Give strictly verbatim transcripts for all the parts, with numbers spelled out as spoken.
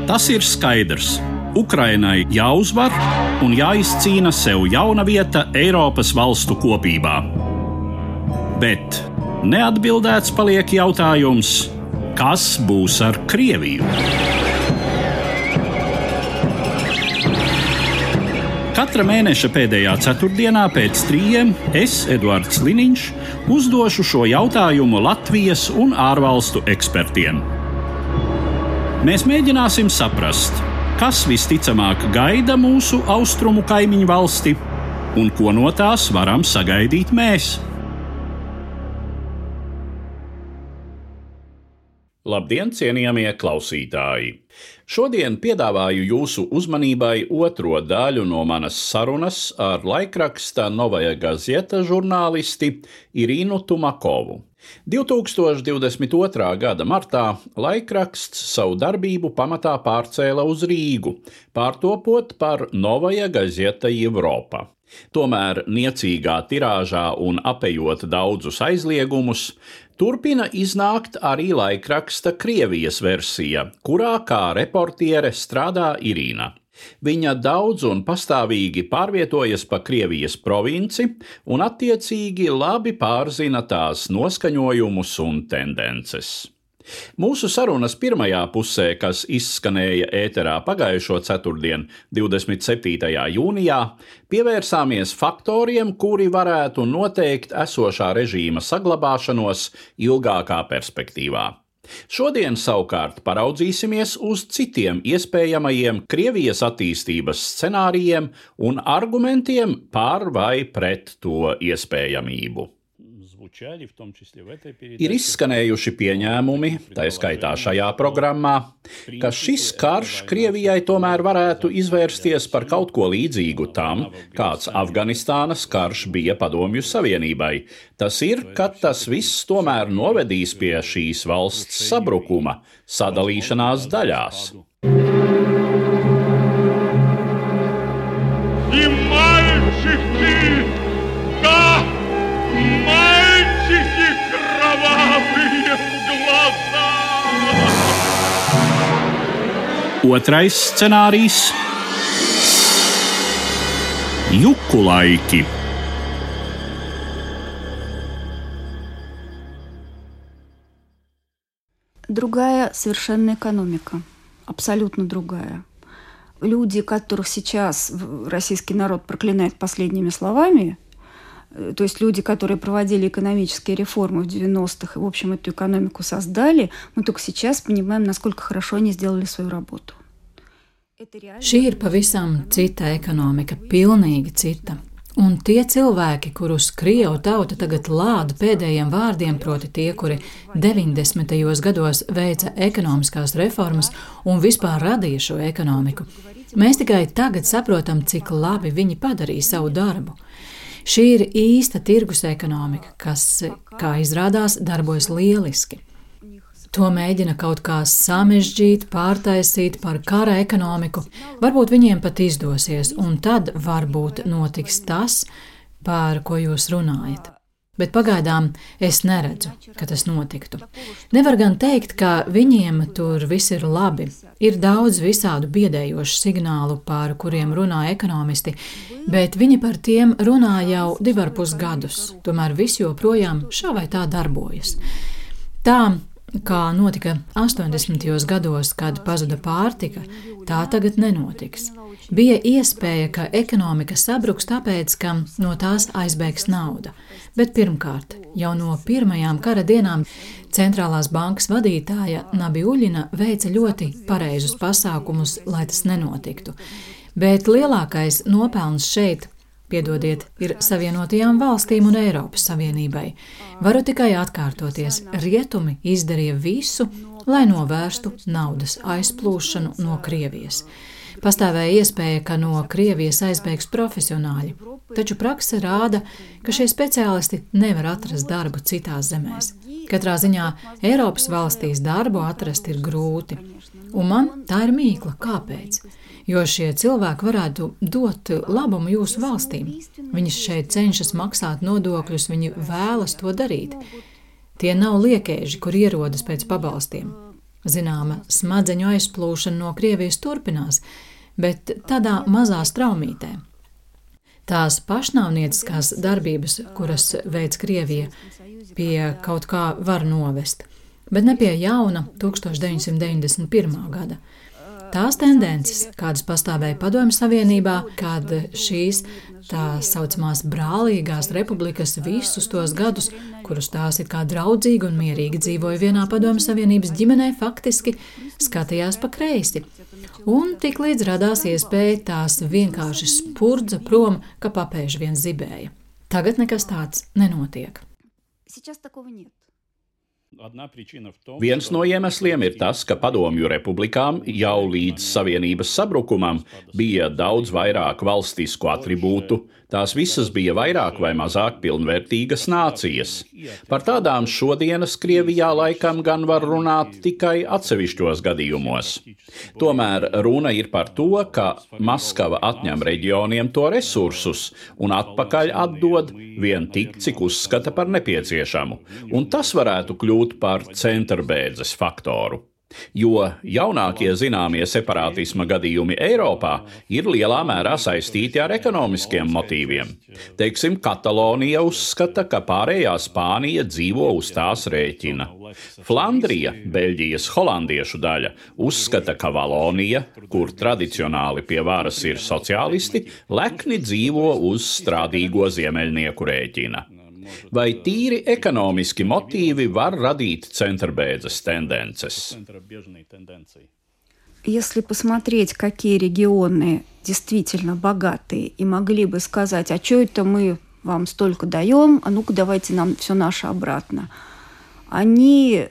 Tas ir skaidrs. Ukrainai jāuzvar un jāizcīna sev jauna vieta Eiropas valstu kopībā. Bet neatbildēts paliek jautājums, kas būs ar Krieviju? Katra mēneša pēdējā ceturtdienā pēc trījiem es, Eduards Liniņš, uzdošu šo jautājumu Latvijas un ārvalstu ekspertiem. Mēs mēģināsim saprast, kas visticamāk gaida mūsu austrumu kaimiņu valsti un ko no tās varam sagaidīt mēs. Labdien, cienījamie klausītāji! Šodien piedāvāju jūsu uzmanībai otro daļu no manas sarunas ar laikraksta Novaja Gazeta žurnālisti Irīnu Tumakovu. divi tūkstoši divdesmit otrā gada martā laikraksts savu darbību pamatā pārcēla uz Rīgu, pārtopot par Novaja Gazeta Europa. Tomēr niecīgā tirāžā un apejot daudzus aizliegumus, turpina iznākt arī laikraksta Krievijas versija, kurā kā reportiere strādā Irīna. Viņa daudz un pastāvīgi pārvietojas pa Krievijas provinci un attiecīgi labi pārzina tās noskaņojumus un tendences. Mūsu sarunas pirmajā pusē, kas izskanēja ēterā pagājušo ceturtdien, divdesmit septītajā jūnijā, pievērsāmies faktoriem, kuri varētu noteikt esošā režīma saglabāšanos ilgākā perspektīvā. Šodien savukārt paraudzīsimies uz citiem iespējamajiem Krievijas attīstības scenārijiem un argumentiem par vai pret to iespējamību. Ir izskanējuši pieņēmumi, tā skaitā šajā programmā, ka šis karš Krievijai tomēr varētu izvērsties par kaut ko līdzīgu tam, kāds Afganistānas karš bija Padomju Savienībai. Tas ir, ka tas viss tomēr novedīs pie šīs valsts sabrukuma, sadalīšanās daļās. Otrais scenārijs – juku laiki. Другая совершенно экономика, абсолютно другая. Люди, которых сейчас российский народ проклинает последними словами, то есть люди, которые проводили экономические реформы в девяностых и, в общем, эту экономику создали, мы только сейчас понимаем, насколько хорошо они сделали свою работу. Šī ir pavisam cita ekonomika, pilnīgi cita. Un tie cilvēki, kurus Krievu tauta tagad lāda pēdējiem vārdiem, proti tie, kuri deviņdesmitajos gados veica ekonomiskās reformas un vispār radīja šo ekonomiku, mēs tikai tagad saprotam, cik labi viņi padarīja savu darbu. Šī ir īsta tirgus ekonomika, kas, kā izrādās, darbojas lieliski. To mēģina kaut kā samežģīt, pārtaisīt par kara ekonomiku. Varbūt viņiem pat izdosies, un tad varbūt notiks tas, par ko jūs runājat. Bet pagaidām es neredzu, ka tas notiktu. Nevar gan teikt, ka viņiem tur viss ir labi. Ir daudz visādu biedējošu signālu, par kuriem runā ekonomisti, bet viņi par tiem runā jau divi ar pus gadus. Tomēr viss joprojām šā vai tā darbojas. Tā, kā notika astoņdesmitajos gados, kad pazuda pārtika, tā tagad nenotiks. Bija iespēja, ka ekonomika sabruks tāpēc, ka no tās aizbēgs nauda. Bet pirmkārt, jau no pirmajām kara dienām centrālās bankas vadītāja Nabiuļina veica ļoti pareizus pasākumus, lai tas nenotiktu. Bet lielākais nopelns šeit, piedodiet, ir Savienotajām valstīm un Eiropas Savienībai. Varu tikai atkārtoties, rietumi izdarīja visu, lai novērstu naudas aizplūšanu no Krievijas. Pastāvēja iespēja, ka no Krievijas aizbēgs profesionāļi, taču prakse rāda, ka šie speciālisti nevar atrast darbu citās zemēs. Katrā ziņā Eiropas valstīs darbu atrast ir grūti, un man tā ir mīkla, kāpēc? Jo šie cilvēki varētu dot labumu jūsu valstīm. Viņi šeit cenšas maksāt nodokļus, viņi vēlas to darīt. Tie nav liekēži, kur ierodas pēc pabalstiem. Zināma smadzeņu aizplūšana no Krievijas turpinās, bet tādā mazā straumītē. Tās pašnāvnieciskās darbības, kuras veids Krievija, pie kaut kā var novest, bet ne pie jauna tūkstoš deviņsimt deviņdesmit pirmā gada. Tās tendences, kādas pastāvēja Padomju Savienībā, kad šīs tā saucamās brālīgās republikas visus tos gadus, kurus tās it kā draudzīgi un mierīgi dzīvoja vienā Padomju Savienības ģimenē, faktiski skatījās pa kreisi. Un tik līdz radās iespēja tās vienkārši spurdza prom, ka papēži vien zibēja. Tagad nekas tāds nenotiek. Viens no iemesliem ir tas, ka padomju republikām jau līdz Savienības sabrukumam bija daudz vairāk valstisku atribūtu, tās visas bija vairāk vai mazāk pilnvērtīgas nācijas. Par tādām šodienas Krievijā laikam gan var runāt tikai atsevišķos gadījumos. Tomēr runa ir par to, ka Maskava atņem reģioniem to resursus un atpakaļ atdod vien tik, cik uzskata par nepieciešamu, un tas varētu kļūt par centrbēdzes faktoru. Jo jaunākie zināmie separātisma gadījumi Eiropā ir lielā mērā saistīti ar ekonomiskiem motīviem. Teiksim, Katalonija uzskata, ka pārējā Spānija dzīvo uz tās rēķina. Flandrija, Beļģijas holandiešu daļa, uzskata, ka Valonija, kur tradicionāli pie varas ir sociālisti, lekni dzīvo uz strādīgo ziemeļnieku rēķina. Vai tīri ekonomiski motīvi var radīt centrbēdzes tendences? Если посмотреть, какие регионы действительно богатые и могли бы сказать, а что это мы вам столько даем, а ну-ка давайте нам все наше обратно. Они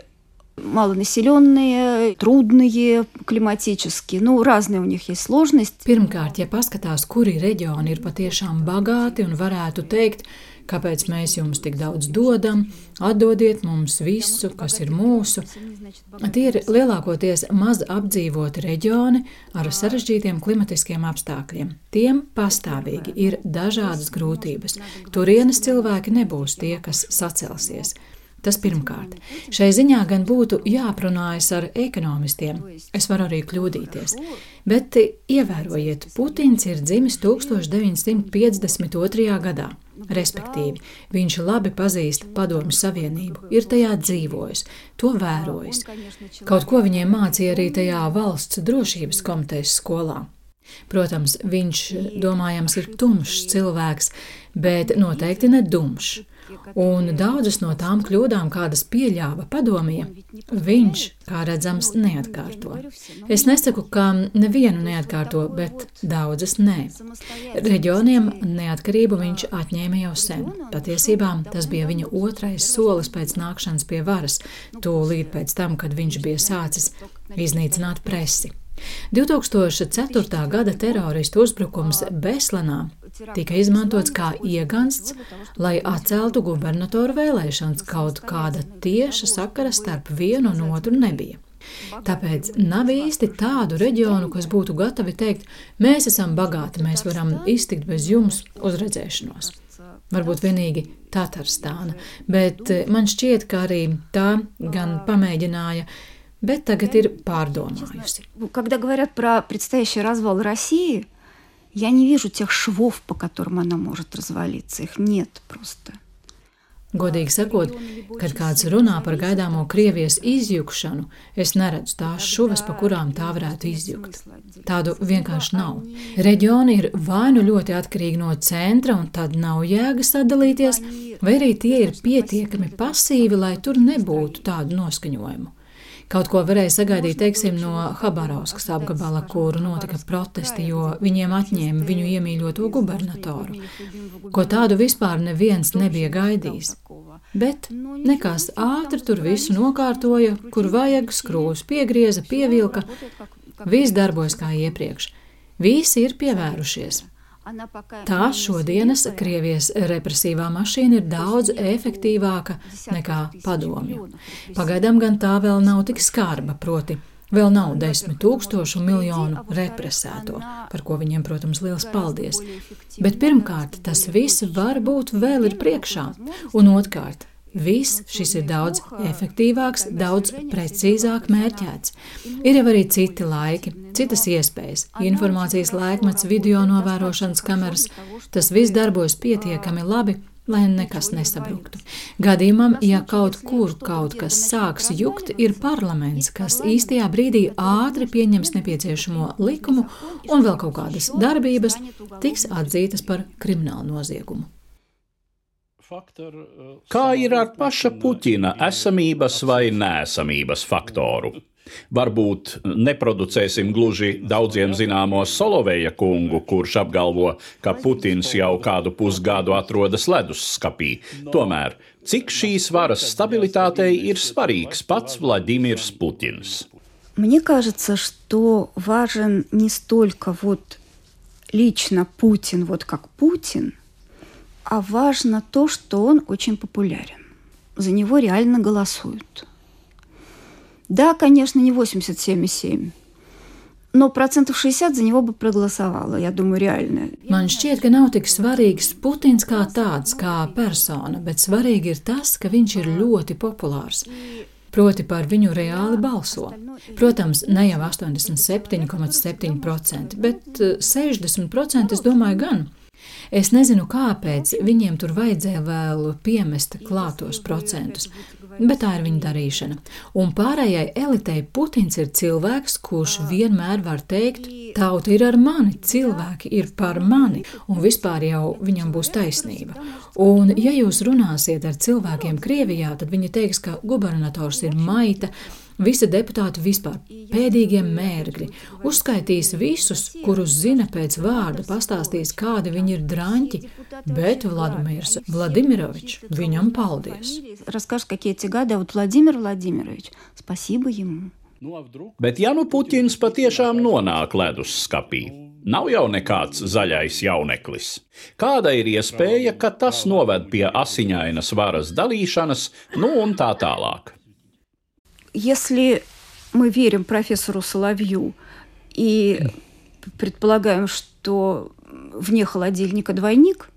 малонаселенные, трудные климатически, nu, разные у них есть сложности. Pirmkārt, ja paskatās, kuri reģioni ir patiešām bagāti un varētu teikt, kāpēc mēs jums tik daudz dodam, atdodiet mums visu, kas ir mūsu. Tie ir lielākoties maz apdzīvoti reģioni ar sarežģītiem klimatiskiem apstākļiem. Tiem pastāvīgi ir dažādas grūtības. Turienes cilvēki nebūs tie, kas sacelsies. Tas pirmkārt. Šai ziņā gan būtu jāprunājas ar ekonomistiem. Es varu arī kļūdīties. Bet ievērojiet, Putins ir dzimis tūkstoš deviņsimt piecdesmit otrajā gadā. Respektīvi, viņš labi pazīst Padomju Savienību, ir tajā dzīvojis, to vērojis. Kaut ko viņiem mācīja arī tajā valsts drošības komitejas skolā. Protams, viņš, domājams, ir tumšs cilvēks, bet noteikti ne dumšs. Un daudzas no tām kļūdām, kādas pieļāva padomie, viņš, kā redzams, neatkārto. Es nesaku, ka nevienu neatkārto, bet daudzas nē. Reģioniem neatkarību viņš atņēma jau sen. Patiesībā tas bija viņa otrais solis pēc nākšanas pie varas, tūlīt pēc tam, kad viņš bija sācis iznīcināt presi. divtūkstoš ceturtā gada teroristu uzbrukums Beslanā tika izmantots kā iegansts, lai atceltu gubernatoru vēlēšanas, kaut kāda tieša sakara starp vienu un otru nebija. Tāpēc nav īsti tādu reģionu, kas būtu gatavi teikt, mēs esam bagāti, mēs varam iztikt bez jums uz redzēšanos. Varbūt vienīgi Tatarstāna, bet man šķiet, ka arī tā gan pamēģināja, bet tagad ir pārdomājusi. Когда говорят про предстоящий развал России, я не вижу тех швов, по которым она может развалиться. Их нет просто. Godīgi sakot, kad kāds runā par gaidāmo Krievijas izjukšanu, es neredzu tās šuvas, pa kurām tā varētu izjukt. Tādu vienkārši nav. Reģioni ir vai nu ļoti atkarīgi no centra, un tad nav jēga sadalīties, vai arī tie ir pietiekami pasīvi, lai tur nebūtu tādu noskaņojumu. Kaut ko varēja sagaidīt, teiksim, no Habarovskas apgabala, kur notika protesti, jo viņiem atņēma viņu iemīļoto gubernatoru. Ko tādu vispār neviens nebija gaidījis. Bet nekas ātri tur visu nokārtoja, kur vajag, skrūvus piegrieza, pievilka. Viss darbojas kā iepriekš. Visi ir pievērušies. Tā šodienas Krievijas represīvā mašīna ir daudz efektīvāka nekā padomju. Pagaidām gan tā vēl nav tik skarba, proti vēl nav desmit tūkstošu miljonu represēto, par ko viņiem, protams, liels paldies. Bet pirmkārt, tas viss varbūt vēl ir priekšā, un otrkārt, Viss šis ir daudz efektīvāks, daudz precīzāk mērķēts. Ir jau arī citi laiki, citas iespējas, informācijas laikmets, video novērošanas kameras. Tas viss darbojas pietiekami labi, lai nekas nesabruktu. Gadījumam, ja kaut kur kaut kas sāks jukt, ir parlaments, kas īstajā brīdī ātri pieņems nepieciešamo likumu un vēl kaut kādas darbības tiks atzītas par kriminālu noziegumu. Kā ir ar paša Puķina esamības vai neesamības faktoru? Varbūt neproducēsim gluži daudziem zināmo Soloveja kungu, kurš apgalvo, ka Putins jau kādu pusgadu atrodas ledusskapī. Tomēr, cik šīs varas stabilitātei ir svarīgs pats Vladimirs Putins? Мне кажется, что важен не столько вот лично Путин, вот как Путин, а важно то, что он очень популярен. За него реально голосуют. Да, конечно, не восемьдесят семь и семь, но процентов шестьдесят за него бы проголосовало, я думаю, реально. Man šķiet, ka nav tik svarīgs Putins kā tāds, kā persona, bet svarīgi ir tas, ka viņš ir ļoti populārs. Proti par viņu reāli balso. Protams, ne jau astoņdesmit septiņi komats septiņi procenti, bet sešdesmit procenti es domāju gan. Es nezinu, kāpēc viņiem tur vajadzēja vēl piemest klātos procentus, bet tā ir viņa darīšana. Un pārējai elitei Putins ir cilvēks, kurš vienmēr var teikt, tauta ir ar mani, cilvēki ir par mani, un vispār jau viņam būs taisnība. Un ja jūs runāsiet ar cilvēkiem Krievijā, tad viņi teiks, ka gubernators ir maita, visi deputāti vispār pēdīgie mērgļi, uzskaitīs visus, kurus zina pēc vārda, pastāstīs, kādi viņi ir draņķi, bet Vladimirs Vladimirovičs, viņam paldies. Расскажешь, какие эти гады, а вот Владимир Владимирович, спасибо ему. Bet ja nu Puķins patiešām nonāk ledusskapī, nav jau nekāds zaļais jauneklis. Kāda ir iespēja, ka tas noved pie asiņainas varas dalīšanas, nu un tā tālāk? Если мы верим профессору Соловью и предполагаем, что вне холодильника двойник,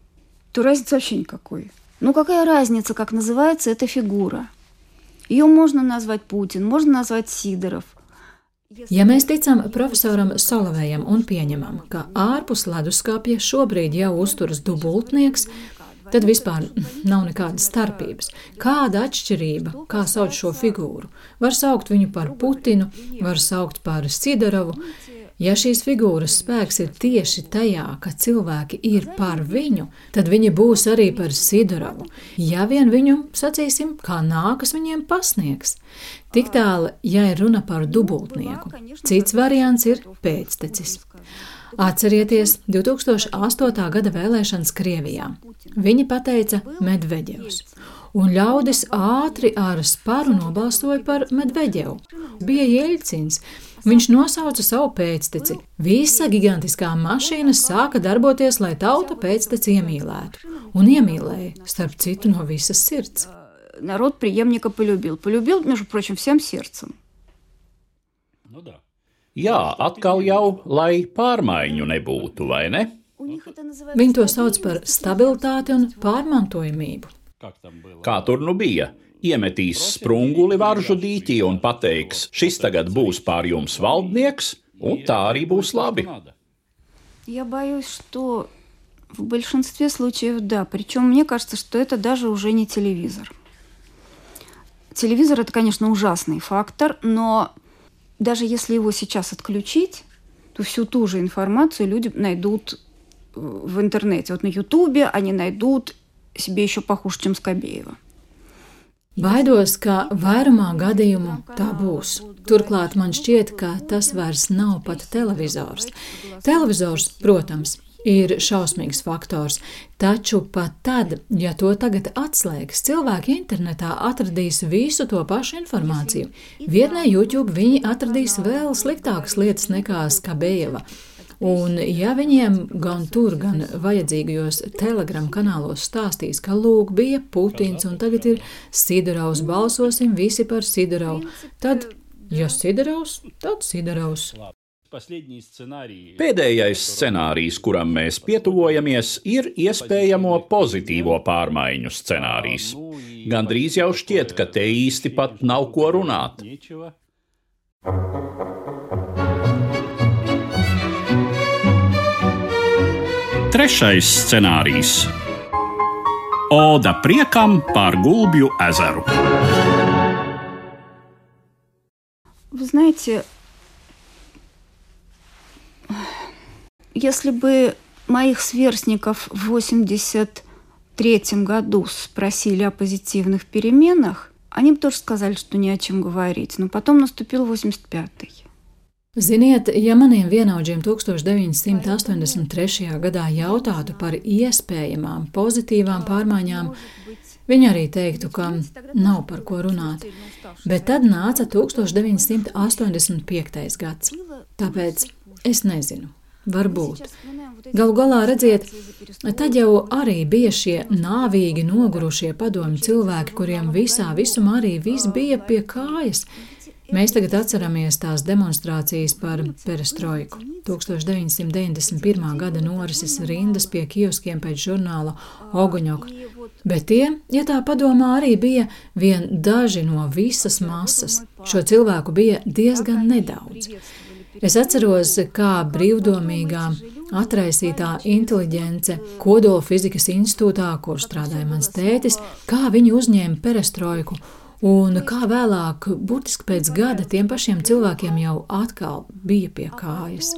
то разницы вообще никакой. Ну какая разница, как называется эта фигура? Ее можно назвать Путин, можно назвать Сидоров. Ja mēs ticam profesoram Solovejam un pieņemam, ka ārpus leduskapja šobrīd jau uzturas dubultnieks, tad vispār nav nekādas starpības. Kāda atšķirība, kā sauc šo figūru? Var saukt viņu par Putinu, var saukt par Sidorovu. Ja šīs figūras spēks ir tieši tajā, ka cilvēki ir par viņu, tad viņi būs arī par Sidorovu. Ja vien viņu, sacīsim, kā nākas viņiem pasniegs. Tik tālu, ja ir runa par dubultnieku. Cits variants ir pēctecis. Atcerieties divi tūkstoši astotā gada vēlēšanas Krievijā. Viņi pateica Medveģevs. Un ļaudis ātri ar sparu nobalsoja par Medveģevu. Bija Jeļcins. Viņš nosauca savu pēcteci. Visa gigantiskā mašīna sāka darboties, lai tauta pēcteci iemīlētu. Un iemīlēja, starp citu, no visas sirds. Народ преемника полюбил. Полюбил, между прочим, всем сердцем. Nu da. Jā, atkal jau, lai pārmaiņu nebūtu, vai ne? Viņi to sauc par stabilitāti un pārmantojamību. Kā tur nu bija? Iemetīs sprunguli varžu dīķī un pateiks, šis tagad būs pār jums valdnieks, un tā arī būs labi. Я боюсь, что в большинстве случаев да. Причем мне кажется, что это даже уже не телевизор. Телевизор – это, конечно, ужасный фактор, но даже если его сейчас отключить, то всю ту же информацию люди найдут в интернете. Вот на Ютубе они найдут себе еще похуже, чем Скобеева. Baidos, ka vairumā gadījumu tā būs. Turklāt man šķiet, ka tas vairs nav pat televizors. Televizors, protams, ir šausmīgs faktors, taču pat tad, ja to tagad atslēgs, cilvēki internetā atradīs visu to pašu informāciju. Vietnē YouTube viņi atradīs vēl sliktākas lietas nekā Skabejeva. Un ja viņiem gan tur, gan vajadzīgajos Telegram kanālos stāstīs, ka lūk bija Putins un tagad ir Sidorovs, balsosim visi par Sidorovu, tad, ja Sidorovs, tad Sidorovs. Pēdējais scenārijs, kuram mēs pietuvojamies, ir iespējamo pozitīvo pārmaiņu scenārijs. Gandrīz jau šķiet, ka te īsti pat nav ko runāt. Trešais scenārijs. Oda priekam par Gulbju ezeru. Вы знаете, если бы моих сверстников в восемьдесят третьем году спросили о позитивных переменах, они бы тоже сказали, что не о чем говорить. Но потом наступил восемьдесят пятый. Ziniet, ja maniem vienaudžiem deviņdesmit astoņdesmit trešajā gadā jautātu par iespējamām pozitīvām pārmaiņām, viņi arī teiktu, ka nav par ko runāt. Bet tad nāca deviņdesmit astoņdesmit piektais gads. Tāpēc es nezinu. Varbūt. Galu galā, redziet, tad jau arī bija šie nāvīgi nogurušie padomju cilvēki, kuriem visā visumā arī viss bija pie kājas. Mēs tagad atceramies tās demonstrācijas par perestroiku. deviņdesmit deviņdesmit pirmā gada norises rindas pie kioskiem pēc žurnāla Oguņok. Bet tie, ja tā padomā, arī bija vien daži no visas masas. Šo cilvēku bija diezgan nedaudz. Es atceros, kā brīvdomīgā, atraisītā inteliģence Kodolfizikas institūtā, kur strādāja mans tētis, kā viņi uzņēma perestroiku, un kā vēlāk, burtiski pēc gada, tiem pašiem cilvēkiem jau atkal bija pie kājas.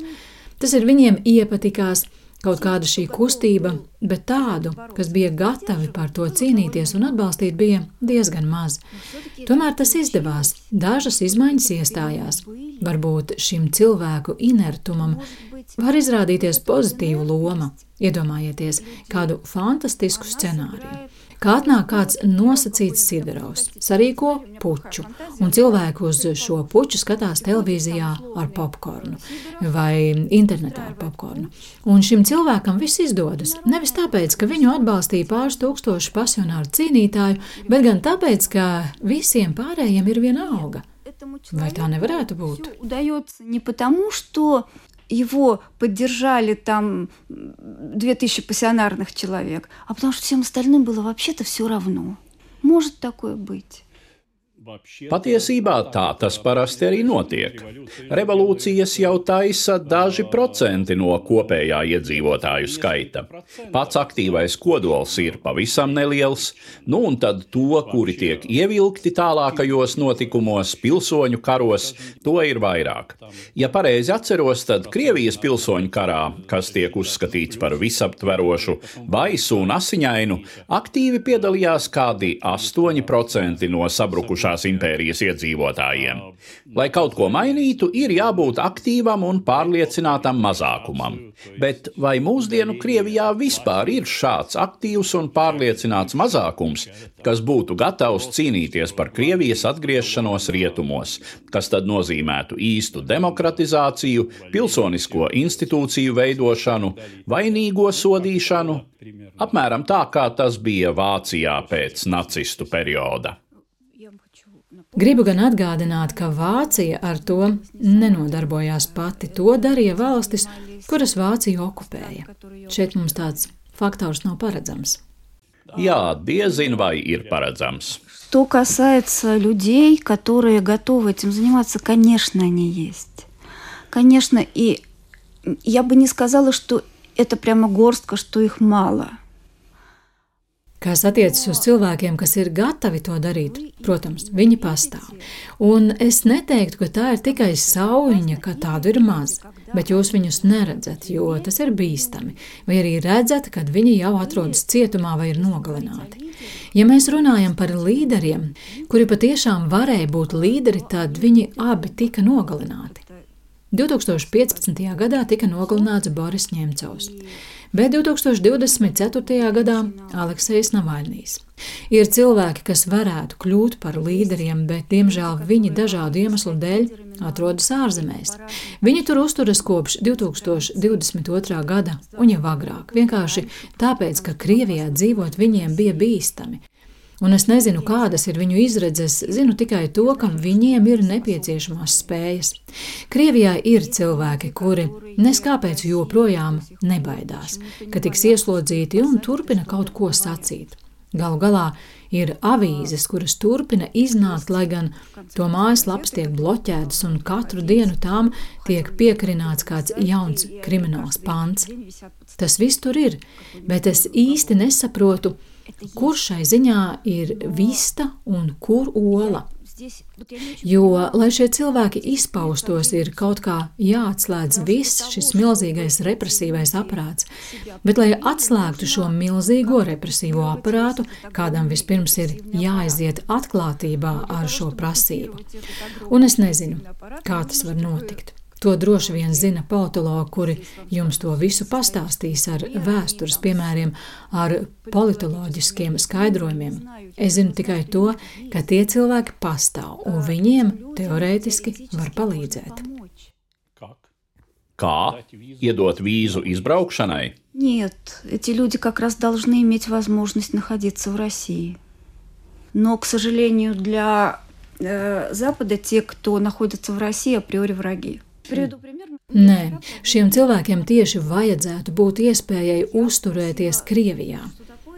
Tas ir viņiem iepatikās kaut kāda šī kustība, bet tādu, kas bija gatavi par to cīnīties un atbalstīt, bija diezgan maz. Tomēr tas izdevās, dažas izmaiņas iestājās. Varbūt šim cilvēku inertumam var izrādīties pozitīva loma. Iedomājieties kādu fantastisku scenāriju. Kā atnāk kāds nosacīts Siderovs, sarīko puču, un cilvēku uz šo puču skatās televīzijā ar popkornu vai internetā ar popkornu. Un šim cilvēkam viss izdodas. Nevis tāpēc, ka viņu atbalstīja pāris tūkstoši pasionāru cīnītāju, bet gan tāpēc, ka visiem pārējiem ir viena alga. Vai tā nevarētu būt? Не потому, что его поддержали там две тысячи пассионарных человек, а потому что всем остальным было вообще-то все равно. Может такое быть? Patiesībā tā tas parasti arī notiek. Revolūcijas jau taisa daži procenti no kopējā iedzīvotāju skaita. Pats aktīvais kodols ir pavisam neliels, nu un tad to, kuri tiek ievilkti tālākajos notikumos, pilsoņu karos, to ir vairāk. Ja pareizi atceros, tad Krievijas pilsoņu karā, kas tiek uzskatīts par visaptverošu, baisu un asiņainu, aktīvi piedalījās kādi astoņi procenti no sabrukušās impērijas iedzīvotājiem. Lai kaut ko mainītu, ir jābūt aktīvam un pārliecinātam mazākumam. Bet vai mūsdienu Krievijā vispār ir šāds aktīvs un pārliecināts mazākums, kas būtu gatavs cīnīties par Krievijas atgriešanos rietumos, kas tad nozīmētu īstu demokratizāciju, pilsonisko institūciju veidošanu, vainīgo sodīšanu? Apmēram tā, kā tas bija Vācijā pēc nacistu perioda. Gribu gan atgādināt, ka Vācija ar to nenodarbojās pati. To darīja valstis, kuras Vācija okupēja. Šeit mums tāds faktors nav paredzams. Jā, diezin vai ir paredzams. Что касается людей, которые готовы этим заниматься, конечно, они есть. Конечно, и я бы не сказала, что это прямо горстка, что их мало. Kas attiecas uz cilvēkiem, kas ir gatavi to darīt, protams, viņi pastāv. Un es neteiktu, ka tā ir tikai saujiņa, ka tādu ir maz, bet jūs viņus neredzat, jo tas ir bīstami, vai arī redzat, kad viņi jau atrodas cietumā vai ir nogalināti. Ja mēs runājam par līderiem, kuri patiešām varēja būt līderi, tad viņi abi tika nogalināti. divi tūkstoši piecpadsmitajā gadā tika nogalināts Boris Ņemcovs, bet divi tūkstoši divdesmit ceturtajā gadā Aleksejs Navaļnijs. Ir cilvēki, kas varētu kļūt par līderiem, bet, diemžēl, viņi dažādu iemeslu dēļ atrodas ārzemēs. Viņi tur uzturas kopš divi tūkstoši divdesmit otrā gada un jau agrāk, vienkārši tāpēc, ka Krievijā dzīvot viņiem bija bīstami. Un es nezinu, kādas ir viņu izredzes, zinu tikai to, ka viņiem ir nepieciešamās spējas. Krievijā ir cilvēki, kuri neskāpēc joprojām nebaidās, ka tiks ieslodzīti un turpina kaut ko sacīt. Galu galā ir avīzes, kuras turpina iznākt, lai gan to mājaslapas tiek bloķētas un katru dienu tām tiek piekarināts kāds jauns krimināls pants. Tas viss tur ir, bet es īsti nesaprotu, kur šai ziņā ir vista un kur ola. Jo, lai šie cilvēki izpaustos, ir kaut kā jāatslēdz viss šis milzīgais represīvais aparāts, bet, lai atslēgtu šo milzīgo represīvo aparātu, kādam vispirms ir jāaiziet atklātībā ar šo prasību. Un es nezinu, kā tas var notikt. To droši vien zina politologi, kuri jums to visu pastāstīs ar vēstures piemēriem, ar politoloģiskiem skaidrojumiem. Es zinu tikai to, ka tie cilvēki pastāv, un viņiem teorētiski var palīdzēt. Kā? Iedot vīzu изbraukšanai? Нет, эти люди как раз должны иметь возможность находиться в России. Но, к сожалению, для э, Запада те, кто находится в России, априори враги. Nē, šiem cilvēkiem tieši vajadzētu būt iespējai uzturēties Krievijā,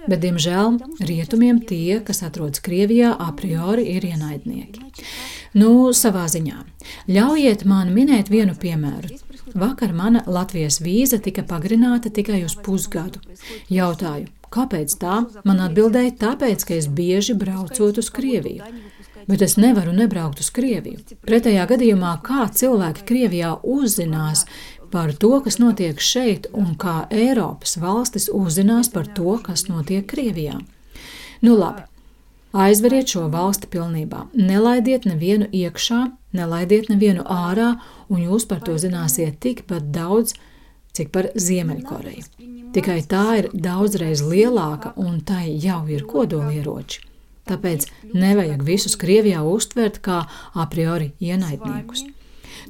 bet, diemžēl, rietumiem tie, kas atrodas Krievijā, a priori ir ienaidnieki. Nu, savā ziņā. Ļaujiet man minēt vienu piemēru. Vakar mana Latvijas vīza tika pagarināta tikai uz pusgadu. Jautāju, kāpēc tā? Man atbildēja, tāpēc, ka es bieži braucot uz Krieviju. Bet es nevaru nebraukt uz Krieviju. Pretējā gadījumā, kā cilvēki Krievijā uzzinās par to, kas notiek šeit, un kā Eiropas valstis uzzinās par to, kas notiek Krievijā. Nu labi, aizveriet šo valsti pilnībā. Nelaidiet nevienu iekšā, nelaidiet nevienu ārā, un jūs par to zināsiet tikpat daudz, cik par Ziemeļkoreju. Tikai tā ir daudzreiz lielāka, un tai jau ir kodolieroči. Tāpēc nevajag visus Krievijā uztvert kā a priori ienaidniekus.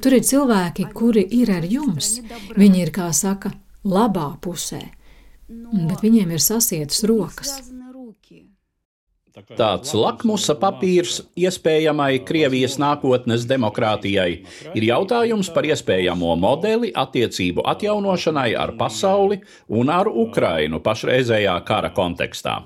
Tur ir cilvēki, kuri ir ar jums. Viņi ir, kā saka, labā pusē, bet viņiem ir sasietas rokas. Tāds lakmusa papīrs iespējamai Krievijas nākotnes demokrātijai ir jautājums par iespējamo modeli attiecību atjaunošanai ar pasauli un ar Ukrainu pašreizējā kara kontekstā.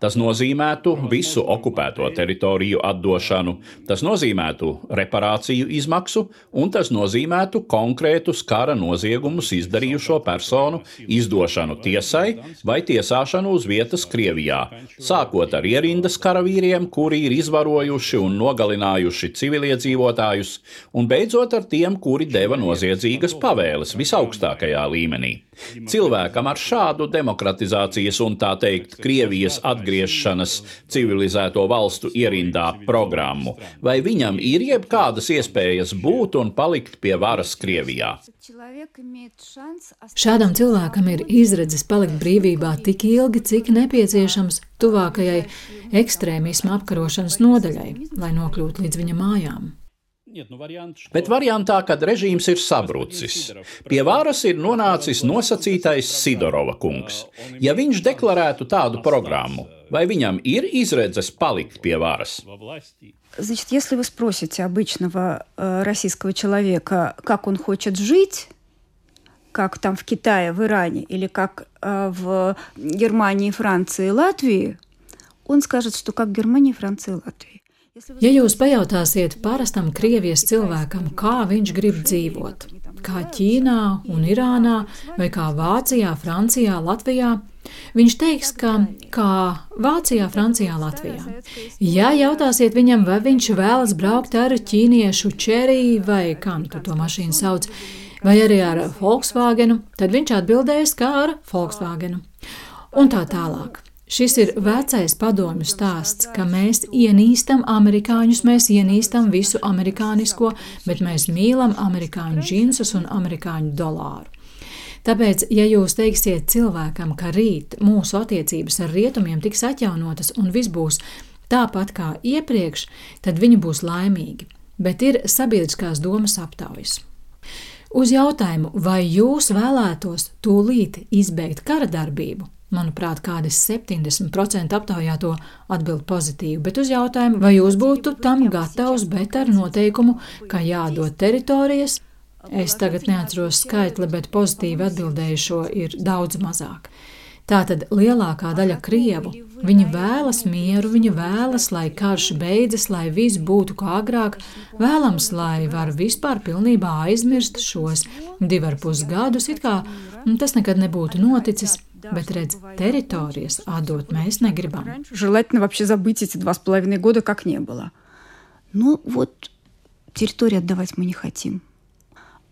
Tas nozīmētu visu okupēto teritoriju atdošanu, tas nozīmētu reparāciju izmaksu, un tas nozīmētu konkrētus kara noziegumus izdarījušo personu izdošanu tiesai vai tiesāšanu uz vietas Krievijā, sākot ar ierindas karavīriem, kuri ir izvarojuši un nogalinājuši civiliedzīvotājus, un beidzot ar tiem, kuri deva noziedzīgas pavēles visaugstākajā līmenī. Cilvēkam ar šādu demokratizācijas un tā teikt Krievijas atgriešanas civilizēto valstu ierindā programmu, vai viņam ir jebkādas iespējas būt un palikt pie varas Krievijā? Šādam cilvēkam ir izredzes palikt brīvībā tik ilgi, cik nepieciešams tuvākajai ekstrēmisma apkarošanas nodaļai, lai nokļūtu līdz viņa mājām. Bet variantā, kad režīms ir sabrucis, pie varas ir nonācis nosacītais Sidorova kungs. Ja viņš deklarētu tādu programmu, vai viņam ir izredzes palikt pie varas? Значит, если вы спросите обычного э, российского человека, как он хочет жить, как там в Китае, в Иране, или как э, в Германии, Франции и Латвии, он скажет, что как в Германии, Франции и Латвии. Ja jūs pajautāsiet parastam Krievijas cilvēkam, kā viņš grib dzīvot, kā Ķīnā un Irānā, vai kā Vācijā, Francijā, Latvijā, viņš teiks, ka kā Vācijā, Francijā, Latvijā. Ja jautāsiet viņam, vai viņš vēlas braukt ar ķīniešu Cherry vai kā nu to mašīnu sauc, vai arī ar Volkswagenu, tad viņš atbildēs, kā ar Volkswagenu. Un tā tālāk. Šis ir vecais padomju stāsts, ka mēs ienīstam amerikāņus, mēs ienīstam visu amerikānisko, bet mēs mīlam amerikāņu džinsus un amerikāņu dolāru. Tāpēc, ja jūs teiksiet cilvēkam, ka rīt mūsu attiecības ar rietumiem tiks atjaunotas un viss būs tāpat kā iepriekš, tad viņi būs laimīgi. Bet ir sabiedriskās domas aptaujas. Uz jautājumu, vai jūs vēlētos tūlīt izbeigt kara darbību, Manuprāt, kādi septiņdesmit procenti aptaujāto atbild pozitīvi, bet uz jautājumu, vai jūs būtu tam gatavs, bet ar noteikumu, ka jādod teritorijas, es tagad neatceros skaitli, bet pozitīvi atbildējušo ir daudz mazāk. Tātad lielākā daļa krievu, viņi vēlas mieru, viņi vēlas, lai karš beidzas, lai viss būtu kā agrāk, vēlams, lai var vispār pilnībā aizmirst šos divi ar pus gadus, it kā tas nekad nebūtu noticis, bet redz, teritorijas atdot mēs negribam. Желательно вообще забыть эти два с половиной года, как не было. Ну вот, территорию отдавать мы не хотим.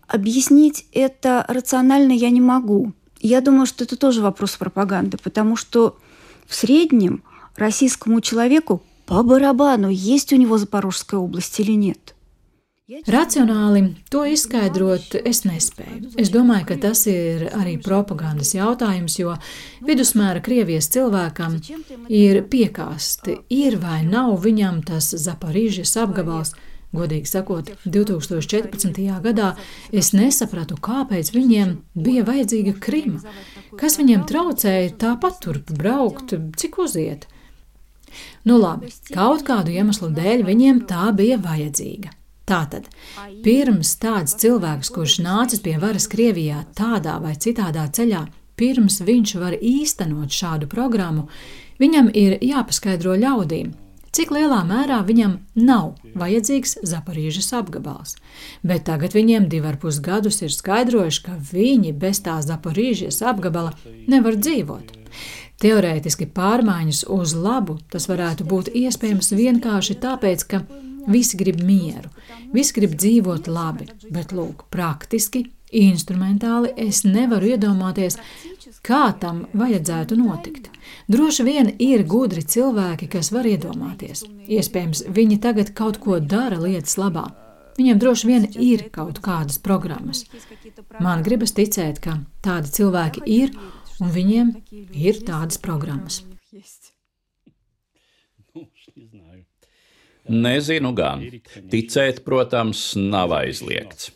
Объяснить это рационально я не могу. Я думаю, что это тоже вопрос пропаганды, потому что в среднем российскому человеку по барабану, есть у него Запорожская область или нет. Racionāli to izskaidrot es nespēju. Es domāju, ka tas ir arī propagandas jautājums, jo vidusmēra Krievijas cilvēkam ir piekāsti, ir vai nav viņam tas Zaporīžas apgabals. Godīgi sakot, divi tūkstoši četrpadsmitajā gadā es nesapratu, kāpēc viņiem bija vajadzīga Krima. Kas viņiem traucēja tāpat turp braukt, cik uziet? Nu labi, kaut kādu iemeslu dēļ viņiem tā bija vajadzīga. Tātad, pirms tāds cilvēks, kurš nācis pie varas Krievijā tādā vai citādā ceļā, pirms viņš var īstenot šādu programmu, viņam ir jāpaskaidro ļaudīm, cik lielā mērā viņam nav vajadzīgs Zaporīžas apgabals. Bet tagad viņiem divi ar pus gadus ir skaidrojuši, ka viņi bez tā Zaporīžas apgabala nevar dzīvot. Teorētiski pārmaiņas uz labu tas varētu būt iespējams vienkārši tāpēc, ka visi grib mieru, visi grib dzīvot labi, bet lūk, praktiski, instrumentāli es nevaru iedomāties, kā tam vajadzētu notikt. Droši vien ir gudri cilvēki, kas var iedomāties. Iespējams, viņi tagad kaut ko dara lietas labā. Viņiem droši vien ir kaut kādas programmas. Man gribas ticēt, ka tādi cilvēki ir, un viņiem ir tādas programmas. Nezinu gan. Ticēt, protams, nav aizliegts.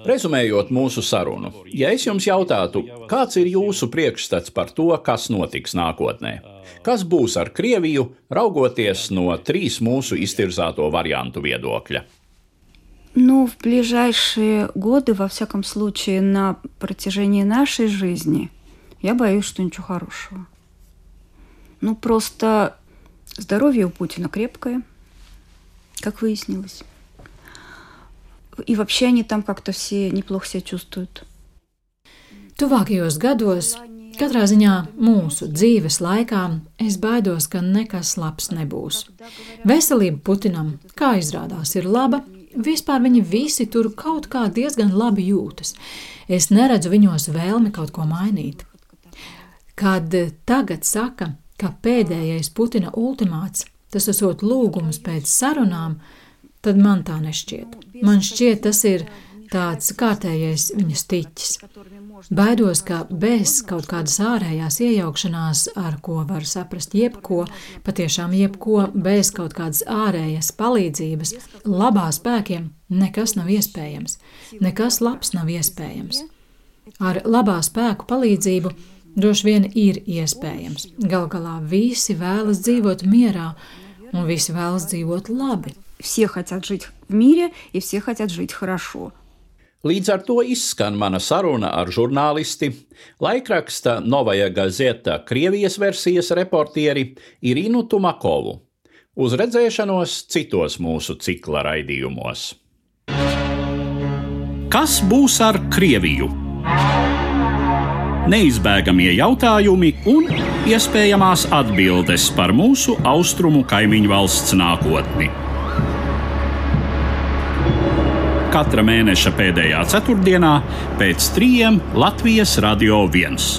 Rezumējot mūsu sarunu, ja es jums jautātu, kāds ir jūsu priekšstats par to, kas notiks nākotnē? Kas būs ar Krieviju, raugoties no trīs mūsu iztirzāto variantu viedokļa? Ну, в ближайшие годы, во всяком случае, на протяжении нашей жизни, я боюсь, что ничего хорошего. Ну, просто здоровье у Путина крепкое, как выяснилось. И вообще они там как-то все неплохо себя чувствуют. Tuvākajos gados, katrā ziņā mūsu dzīves laikā, es baidos, ka nekas labs nebūs. Veselība Putinam, kā izrādās, ir laba. Vispār viņi visi tur kaut kā diezgan labi jūtas. Es neredzu viņos vēlmi kaut ko mainīt. Kad tagad saka, ka pēdējais Putina ultimāts, tas esot lūgums pēc sarunām, tad man tā nešķiet. Man šķiet, tas ir tāds kārtējais viņa stiķis. Baidos, ka bez kaut kādas ārējās iejaukšanās, ar ko var saprast jebko, patiešām jebko, bez kaut kādas ārējas palīdzības, labā spēkiem nekas nav iespējams. Nekas labs nav iespējams. Ar labā spēku palīdzību droši vien ir iespējams. Gal galā visi vēlas dzīvot mierā, un visi vēlas dzīvot labi. Все хотят жить в мире, и все хотят жить хорошо. Līdz ar to izskan mana saruna ar žurnālisti, laikraksta Novaja Gazeta Krievijas versijas reportieri Irinu Tumakovu. Uz redzēšanos citos mūsu cikla raidījumos. Kas būs ar Krieviju? Neizbēgamie jautājumi un iespējamās atbildes par mūsu austrumu kaimiņu valsts nākotni. Katra mēneša pēdējā ceturtdienā pēc trījiem Latvijas Radio viens.